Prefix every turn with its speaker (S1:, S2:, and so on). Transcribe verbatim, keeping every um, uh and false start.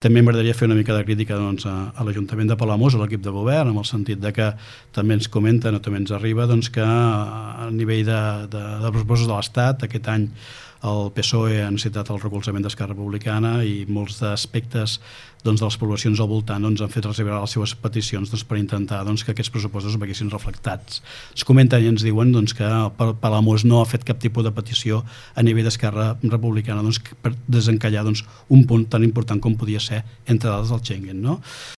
S1: També m'agradaria fer una mica de crítica doncs, a, a l'Ajuntament de Palamós, a l'equip de govern, en el sentit de que també ens comenten o també ens arriba doncs, que a nivell de, de, de pressupostos de l'Estat aquest any el P S O E ha necessitat el recolzament d'Esquerra Republicana i molts aspectes doncs, de les poblacions al voltant doncs, han fet arribar les seves peticions doncs, per intentar doncs, que aquests pressupostos veiessin reflectats. Es comenten i ens diuen doncs, que Palamós no ha fet cap tipus de petició a nivell d'Esquerra Republicana doncs, per desencallar doncs, un punt tan important com podia ser, entre dades, del Schengen. No?